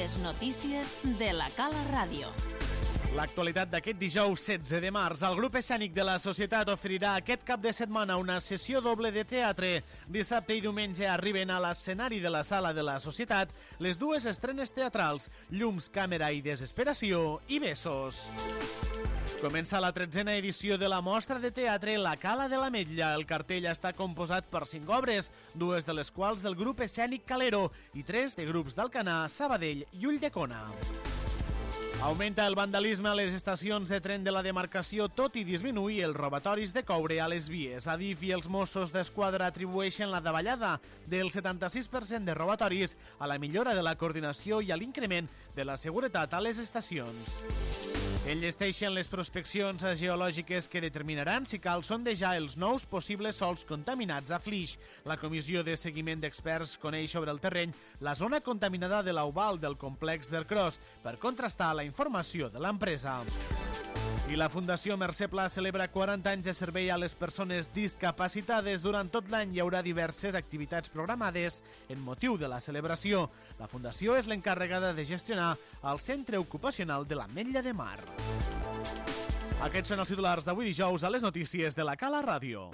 Les notícies de la Cala Ràdio. L'actualitat d'aquest dijous 16 de març. El grup escènic de la Societat oferirà aquest cap de setmana una sessió doble de teatre. Dissabte i diumenge arriben a l'escenari de la Sala de la Societat les dues estrenes teatrals, Llums, Càmera i Desesperació i Besos. Comença la 13a edició de la mostra de teatre La Cala de l'Ametlla. El cartell està composat per 5 obres, 2 de les quals del grup escènic Calero i 3 de grups d'Alcanar, Sabadell i Ulldecona. Augmenta el vandalisme a les estacions de tren de la demarcació, tot i disminuir els robatoris de coure a les vies. Adif i els Mossos d'Esquadra atribueixen la davallada del 76% de robatoris a la millora de la coordinació i a l'increment de la seguretat a les estacions. Enllesteixen les prospeccions geològiques que determinaran si cal sondejar els nous possibles sòls contaminats a Flix. La comissió de seguiment d'experts coneix sobre el terreny la zona contaminada de l'Oval del complex del Cros per contrastar la informació de l'empresa. I la Fundació Mercè Pla celebra 40 anys de servei a les persones discapacitades. Durant tot l'any hi haurà diverses activitats programades en motiu de la celebració. La Fundació és l'encarregada de gestionar el Centre Ocupacional de l'Ametlla de Mar. Aquests són els titulars d'avui dijous a les notícies de la Cala Ràdio.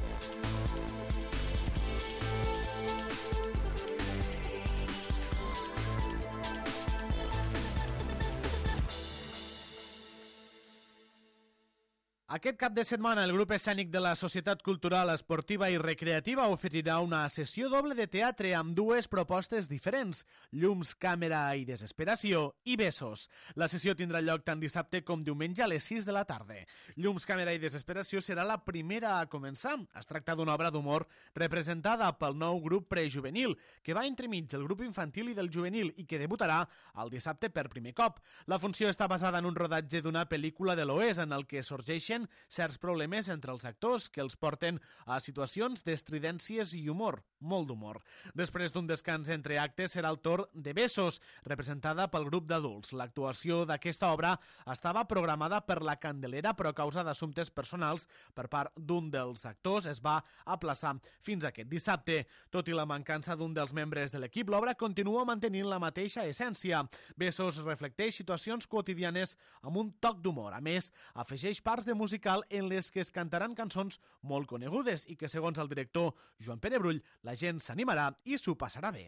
Aquest cap de setmana el grup escènic de la Societat Cultural, Esportiva i Recreativa oferirà una sessió doble de teatre amb dues propostes diferents, Llums, Càmera i Desesperació i Besos. La sessió tindrà lloc tant dissabte com diumenge a les 6 de la tarda. Llums, Càmera i Desesperació serà la primera a començar. Es tracta d'una obra d'humor representada pel nou grup prejuvenil, que va entremig del grup infantil i del juvenil i que debutarà el dissabte per primer cop. La funció està basada en un rodatge d'una pel·lícula de l'Oest en el que sorgeixen certs problemes entre els actors que els porten a situacions d'estridències i humor, molt d'humor. Després d'un descans entre actes serà el torn de Besos, representada pel grup d'adults. L'actuació d'aquesta obra estava programada per la Candelera, però a causa d'assumptes personals per part d'un dels actors es va aplaçar fins aquest dissabte. Tot i la mancança d'un dels membres de l'equip, l'obra continua mantenint la mateixa essència. Besos reflecteix situacions quotidianes amb un toc d'humor. A més, afegeix parts de musical en les que es cantaran cançons molt conegudes i que, segons el director Joan Pere Brull, la gent s'animarà i s'ho passarà bé.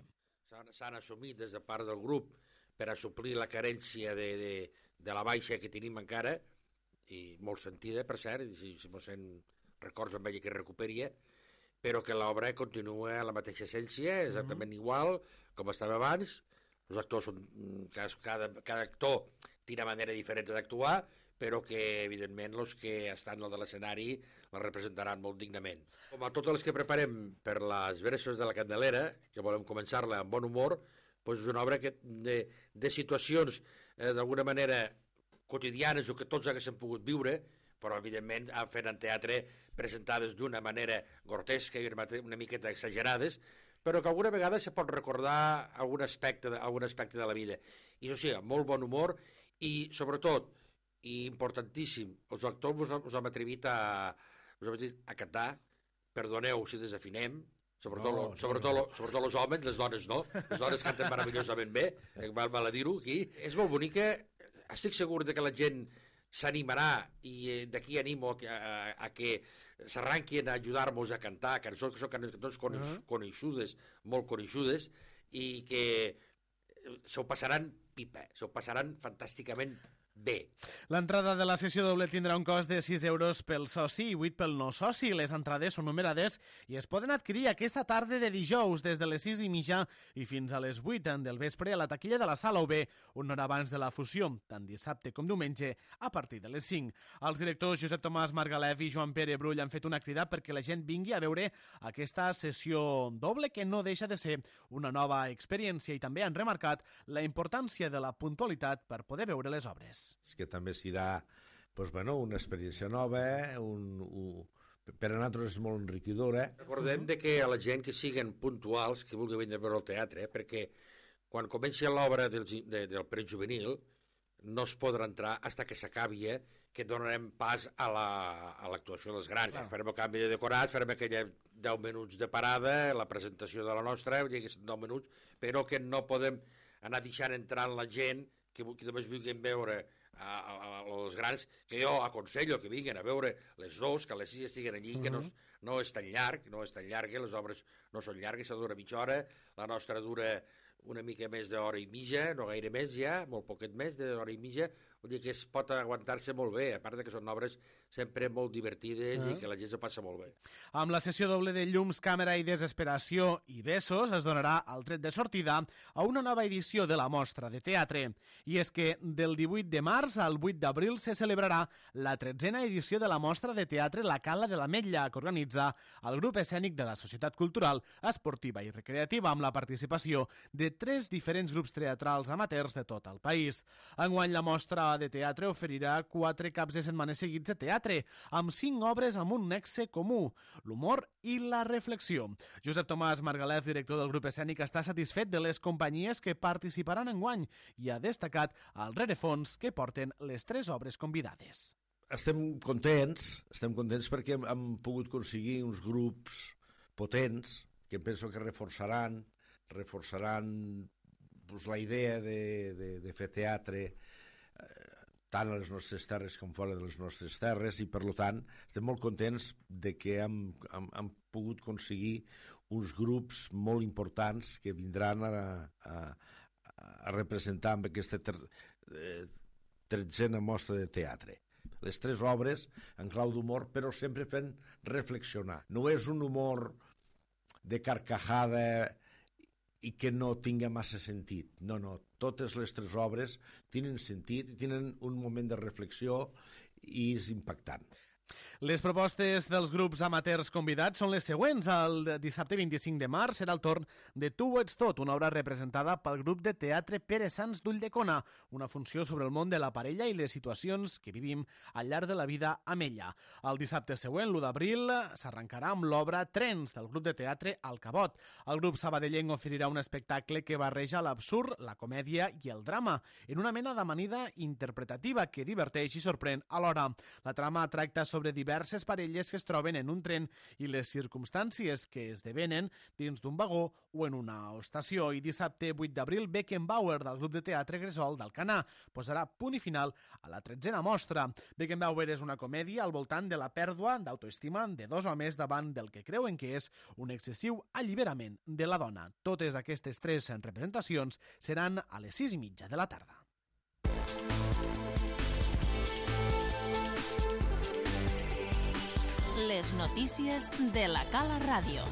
S'han assumit des de part del grup per a suplir la carència de la baixa que tenim encara, i molt sentida, per cert, si mos en records amb ella que recuperia, però que l'obra continua a la mateixa essència, exactament igual com estava abans. Els actors són... Cada actor té una manera diferent d'actuar, però que, evidentment, els que estan al de l'escenari la representaran molt dignament. Com a totes les que preparem per les versos de la Candelera, que volem començar-la amb bon humor, doncs és una obra de situacions, d'alguna manera, quotidianes o que tots haguéssim pogut viure, però, evidentment, fent en teatre presentades d'una manera grotesca i una miqueta exagerades, però que alguna vegada se pot recordar algun aspecte de la vida. I això sí, amb molt bon humor i, sobretot, i importantíssim, els actors us hem atrevit a cantar, perdoneu si desafinem, sobretot els homes, les dones no, les dones canten meravellosament bé, val a dir-ho aquí. És molt bonica, estic segur que la gent s'animarà i d'aquí animo a que s'arranquin a ajudar-nos a cantar cançons que són cançons coneixudes, molt coneixudes, i que s'ho passaran pipa, s'ho passaran fantàsticament bé. L'entrada de la sessió doble tindrà un cost de 6 euros pel soci i 8 pel no soci. Les entrades són numerades i es poden adquirir aquesta tarda de dijous des de les 6:30 i fins a les 8 del vespre a la taquilla de la Sala UB, una hora abans de la fusió, tant dissabte com diumenge, a partir de les 5. Els directors Josep Tomàs Margalef i Joan Pere Brull han fet una crida perquè la gent vingui a veure aquesta sessió doble, que no deixa de ser una nova experiència, i també han remarcat la importància de la puntualitat per poder veure les obres. Que també serà una experiència nova, per a nosaltres és molt enriquidora. Recordem que a la gent que siguin puntuals, que vulgui venir a veure el teatre, perquè quan comenci l'obra del prejuvenil no es podrà entrar fins que s'acabi, que donarem pas a l'actuació dels grans. Farem el canvi de decorats, farem aquella 10 minuts de parada, la presentació de la nostra, 10 minuts, però que no podem anar deixant entrar la gent que només vulguin veure els grans, que jo aconsello que vinguin a veure les dos, que les 6 estiguen allí, que no és tan llarg, les obres no són llargues, se dura mitja hora, la nostra dura una mica més d'hora i mitja, no gaire més ja, molt poquet més d'hora i mitja, vull dir que es pot aguantar-se molt bé, a part que són obres sempre molt divertides i que la gent s'ho passa molt bé. Amb la sessió doble de llums, càmera i desesperació i besos es donarà el tret de sortida a una nova edició de la mostra de teatre. I és que del 18 de març al 8 d'abril se celebrarà la 13a edició de la mostra de teatre La Cala de l'Ametlla, que organitza el grup escènic de la Societat Cultural, Esportiva i Recreativa, amb la participació de 3 diferents grups teatrals amateurs de tot el país. Enguany la mostra de teatre oferirà 4 caps de setmana seguits de teatre, amb 5 obres amb un nexe comú, l'humor i la reflexió. Josep Tomàs Margalef, director del grup escènic, està satisfet de les companyies que participaran enguany i ha destacat el rerefons que porten les 3 obres convidades. Estem contents perquè hem pogut aconseguir uns grups potents que penso que reforçaran pues, la idea de fer teatre tant a les nostres terres com fora de les nostres terres, i per tant estem molt contents de que hem pogut aconseguir uns grups molt importants que vindran a representar amb aquesta 13a mostra de teatre. Les 3 obres en clau d'humor, però sempre fent reflexionar. No és un humor de carcajada i que no tinga massa sentit. No, totes les 3 obres tenen sentit, tenen un moment de reflexió i és impactant. Les propostes dels grups amateurs convidats són les següents. El dissabte 25 de març serà el torn de Tu ho ets tot, una obra representada pel grup de teatre Pere Sans d'Ulldecona, una funció sobre el món de la parella i les situacions que vivim al llarg de la vida amb ella. El dissabte següent, l'1 d'abril, s'arrencarà amb l'obra Trens, del grup de teatre El Cabot. El grup sabadellenc oferirà un espectacle que barreja l'absurd, la comèdia i el drama, en una mena d'amanida interpretativa que diverteix i sorprèn alhora. La trama tracta sobre diverses parelles que es troben en un tren i les circumstàncies que esdevenen dins d'un vagó o en una estació. I dissabte 8 d'abril, Beckenbauer, del grup de teatre Gresol d'Alcanar, posarà punt i final a la 13a mostra. Beckenbauer és una comèdia al voltant de la pèrdua d'autoestima de 2 homes davant del que creuen que és un excessiu alliberament de la dona. Totes aquestes 3 representacions seran a les 6:30 de la tarda. Les notícies de la Cala Ràdio.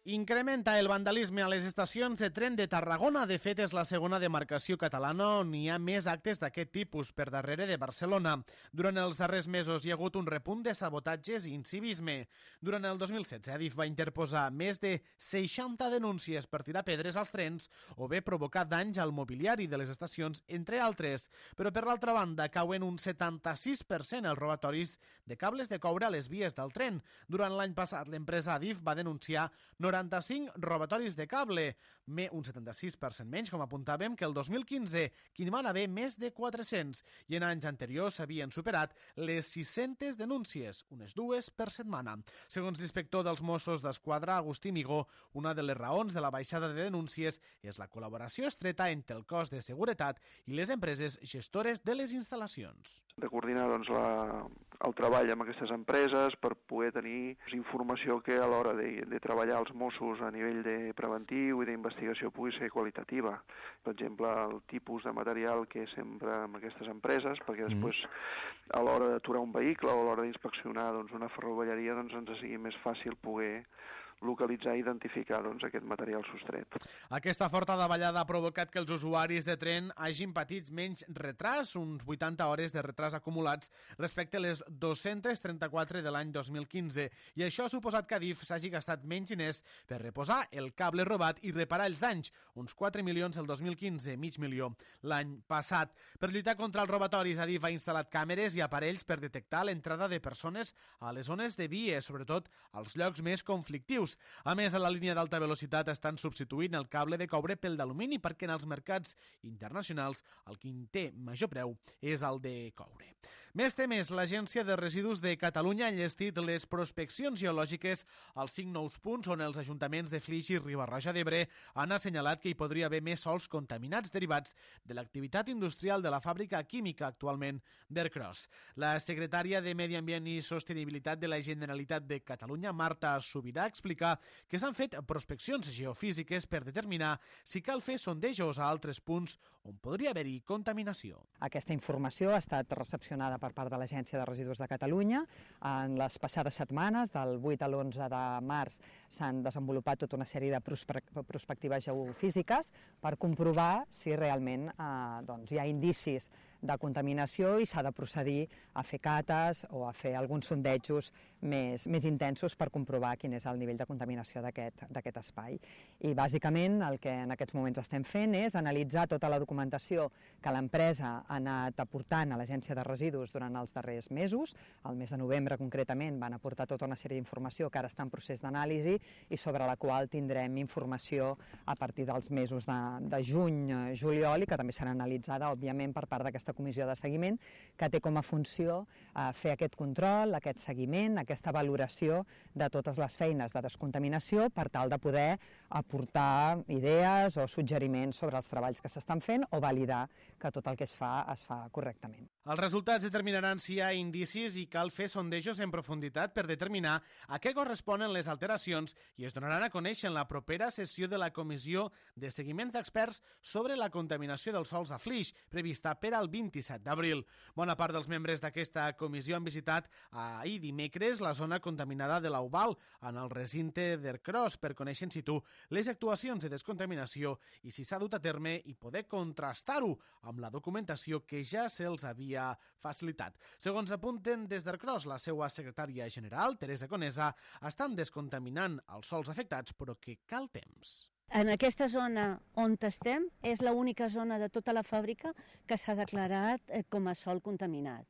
Incrementa el vandalisme a les estacions de tren de Tarragona. De fet, és la segona demarcació catalana on hi ha més actes d'aquest tipus, per darrere de Barcelona. Durant els darrers mesos hi ha hagut un repunt de sabotatges i incivisme. Durant el 2016, Adif va interposar més de 60 denúncies per tirar pedres als trens o bé provocar danys al mobiliari de les estacions, entre altres. Però, per l'altra banda, cauen un 76% els robatoris de cables de coure a les vies del tren. Durant l'any passat, l'empresa Adif va denunciar 45 robatoris de cable, un 76% menys, com apuntàvem, que el 2015, que hi van haver més de 400, i en anys anteriors s'havien superat les 600 denúncies, unes 2 per setmana. Segons l'inspector dels Mossos d'Esquadra, Agustí Migó, una de les raons de la baixada de denúncies és la col·laboració estreta entre el cos de seguretat i les empreses gestores de les instal·lacions. De coordinar el treball amb aquestes empreses per poder tenir informació que a l'hora de treballar els Mossos a nivell de preventiu i d'investigació pugui ser qualitativa. Per exemple, el tipus de material que s'empra amb aquestes empreses, perquè després a l'hora d'aturar un vehicle o a l'hora d'inspeccionar una ferrovelleria ens sigui més fàcil poder localitzar i identificar aquest material sostret. Aquesta forta davallada ha provocat que els usuaris de tren hagin patit menys retras, uns 80 hores de retras acumulats respecte a les 234 de l'any 2015, i això ha suposat que Adif s'hagi gastat menys diners per reposar el cable robat i reparar els danys, uns 4 milions el 2015, mig milió l'any passat. Per lluitar contra els robatoris, Adif ha instal·lat càmeres i aparells per detectar l'entrada de persones a les zones de vies, sobretot als llocs més conflictius. A més, a la línia d'alta velocitat estan substituint el cable de coure pel d'alumini perquè en els mercats internacionals el que té major preu és el de coure. Més temes, l'Agència de Residus de Catalunya ha enllestit les prospeccions geològiques als 5 nous punts on els ajuntaments de Flix i Riba-roja d'Ebre han assenyalat que hi podria haver més sòls contaminats derivats de l'activitat industrial de la fàbrica química actualment d'Ercros. La secretària de Medi Ambient i Sostenibilitat de la Generalitat de Catalunya, Marta Subirà, explica que s'han fet prospeccions geofísiques per determinar si cal fer sondejos a altres punts on podria haver-hi contaminació. Aquesta informació ha estat recepcionada per part de l'Agència de Residus de Catalunya. En les passades setmanes, del 8 a l'11 de març, s'han desenvolupat tota una sèrie de prospectives geofísiques per comprovar si realment hi ha indicis de contaminació i s'ha de procedir a fer cates o a fer alguns sondejos més intensos per comprovar quin és el nivell de contaminació d'aquest espai. I bàsicament el que en aquests moments estem fent és analitzar tota la documentació que l'empresa ha anat aportant a l'Agència de Residus durant els darrers mesos. El mes de novembre concretament van aportar tota una sèrie d'informació que ara està en procés d'anàlisi i sobre la qual tindrem informació a partir dels mesos de juny, juliol, i que també serà analitzada, òbviament, per part d'aquesta comissió de seguiment, que té com a funció fer aquest control, aquest seguiment, aquesta valoració de totes les feines de descontaminació per tal de poder aportar idees o suggeriments sobre els treballs que s'estan fent o validar que tot el que es fa correctament. Els resultats determinaran si hi ha indicis i cal fer sondejos en profunditat per determinar a què corresponen les alteracions i es donaran a conèixer en la propera sessió de la Comissió de Seguiments d'Experts sobre la contaminació dels sòls a Flix, prevista per al 27 d'abril. Bona part dels membres d'aquesta comissió han visitat ahir dimecres la zona contaminada de l'Aubal, en el recinte d'Ercros, per conèixer in situ les actuacions de descontaminació i si s'ha dut a terme i poder contrastar-ho amb la documentació que ja se'ls havia facilitat. Segons apunten des d'Ercros, la seva secretària general, Teresa Conesa, estan descontaminant els sòls afectats, però que cal temps. En aquesta zona on estem és l'única zona de tota la fàbrica que s'ha declarat com a sòl contaminat.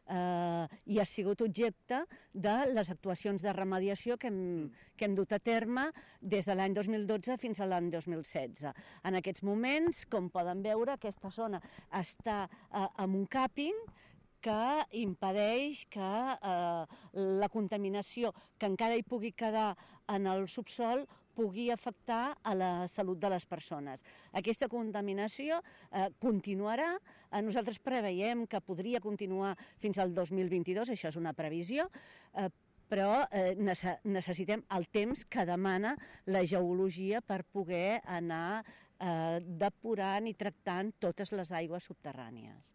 I ha sigut objecte de les actuacions de remediació que hem dut a terme des de l'any 2012 fins a l'any 2016. En aquests moments, com poden veure, aquesta zona està en un càping que impedeix que la contaminació que encara hi pugui quedar en el subsòl pugui afectar a la salut de les persones. Aquesta contaminació continuarà. Nosaltres preveiem que podria continuar fins al 2022, això és una previsió, però necessitem el temps que demana la geologia per poder anar depurant i tractant totes les aigües subterrànies.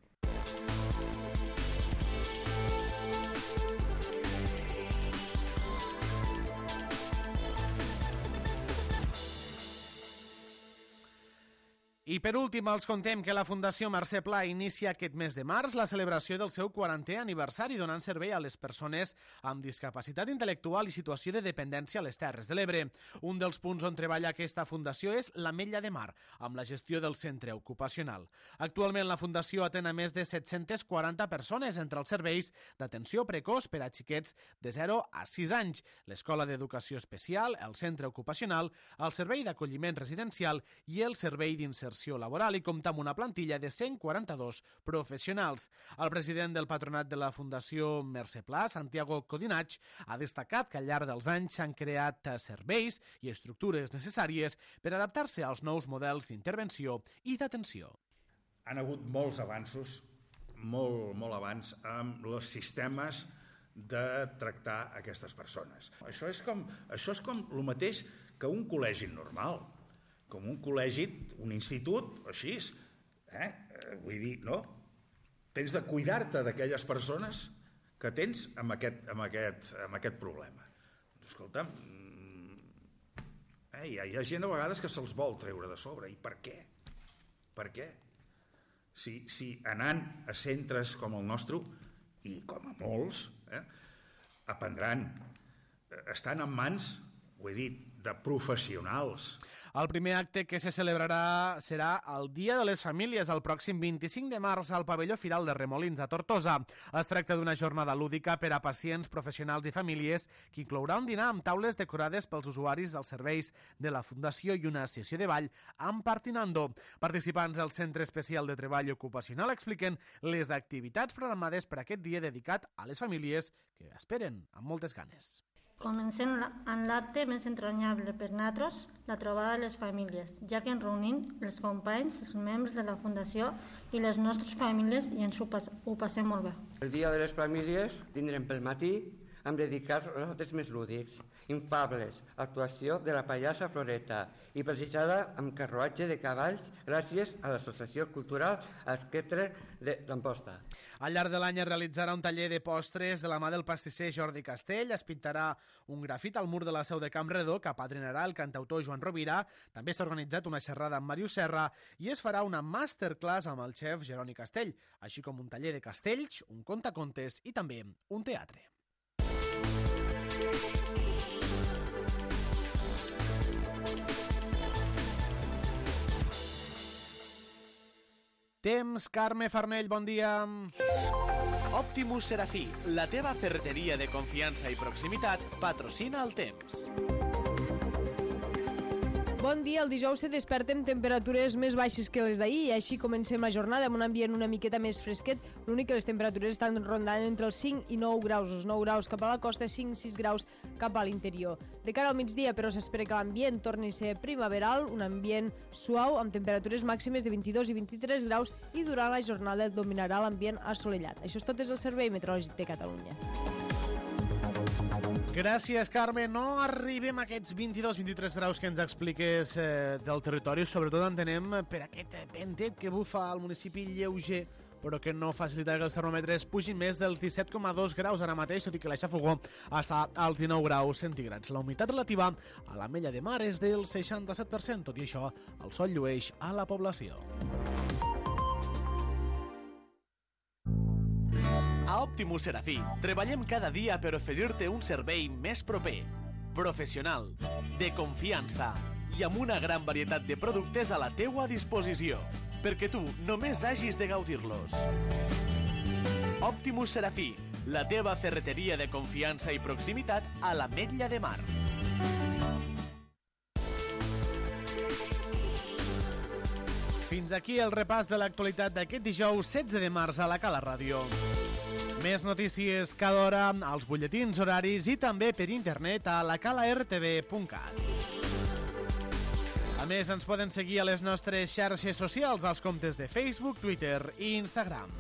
I per últim, els contem que la Fundació Mercè Pla inicia aquest mes de març la celebració del seu 40è aniversari donant servei a les persones amb discapacitat intel·lectual i situació de dependència a les Terres de l'Ebre. Un dels punts on treballa aquesta fundació és l'Ametlla de Mar, amb la gestió del centre ocupacional. Actualment la fundació atén a més de 740 persones entre els serveis d'atenció precoç per a xiquets de 0 a 6 anys, l'escola d'educació especial, el centre ocupacional, el servei d'acolliment residencial i el servei d'inserció laboral, i compta amb una plantilla de 142 professionals. El president del patronat de la Fundació Mercè Pla, Santiago Codinach, ha destacat que al llarg dels anys s'han creat serveis i estructures necessàries per adaptar-se als nous models d'intervenció i d'atenció. Han hagut molts avanços, molt abans, amb els sistemes de tractar aquestes persones. Això és com el mateix que un col·legi normal, com un col·legi, un institut, així, vull dir, no? Tens de cuidar-te d'aquelles persones que tens amb aquest problema. Escolta'm, hi ha gent a vegades que se'ls vol treure de sobre. I per què? Per què? Si anant a centres com el nostre, i com a molts, aprendran, estan en mans, ho he dit, de professionals. El primer acte que se celebrarà serà el Dia de les Famílies, el pròxim 25 de març al pavelló Firal de Remolins, a Tortosa. Es tracta d'una jornada lúdica per a pacients, professionals i famílies que inclourà un dinar amb taules decorades pels usuaris dels serveis de la Fundació i una sessió de ball amb Partinando. Participants del Centre Especial de Treball Ocupacional expliquen les activitats programades per aquest dia dedicat a les famílies que esperen amb moltes ganes. Comencem amb l'acte més entranyable per nosaltres, la trobada de les famílies, ja que ens reunim els companys, els membres de la Fundació i les nostres famílies i ens ho passem molt bé. El dia de les famílies tindrem pel matí amb dedicar els actes més lúdics, infables, actuació de la pallassa Floreta i precisada amb carruatge de cavalls gràcies a l'Associació Cultural Esquetre d'Amposta. Al llarg de l'any es realitzarà un taller de postres de la mà del pastisser Jordi Castell, es pintarà un grafit al mur de la seu de Campredó que apadrinarà el cantautor Joan Rovira, també s'ha organitzat una xerrada amb Màrius Serra i es farà una masterclass amb el xef Jeroni Castell, així com un taller de castells, un contacontes i també un teatre. Temps, Carme Farnell, bon dia. Optimus Serafí, la teva ferreteria de confiança i proximitat, patrocina el temps. Bon dia, el dijous se desperta amb temperatures més baixes que les d'ahir i així comencem la jornada amb un ambient una miqueta més fresquet. L'únic que les temperatures estan rondant entre els 5 i 9 graus. Els 9 graus cap a la costa, 5-6 graus cap a l'interior. De cara al migdia, però, s'espera que l'ambient torni a ser primaveral, un ambient suau amb temperatures màximes de 22 i 23 graus i durant la jornada dominarà l'ambient assolellat. Això és tot des del Servei Meteorològic de Catalunya. Gràcies, Carme. No arribem a aquests 22-23 graus que ens expliques del territori. Sobretot entenem per aquest ventet que bufa al municipi lleuger, però que no facilita que els termòmetres pugin més dels 17,2 graus ara mateix, tot i que la xafogó està als 19 graus centígrads. La humitat relativa a l'Ametlla de Mar és del 67%. Tot i això, el sol llueix a la població. A Optimus Serafí treballem cada dia per oferir-te un servei més proper, professional, de confiança i amb una gran varietat de productes a la teua disposició, perquè tu només hagis de gaudir-los. Optimus Serafí, la teva ferreteria de confiança i proximitat a l'Ametlla de Mar. Fins aquí el repàs de l'actualitat d'aquest dijous 16 de març a la Cala Ràdio. Més notícies cada hora als butlletins horaris i també per internet a lacalartv.cat. A més, ens poden seguir a les nostres xarxes socials, als comptes de Facebook, Twitter i Instagram.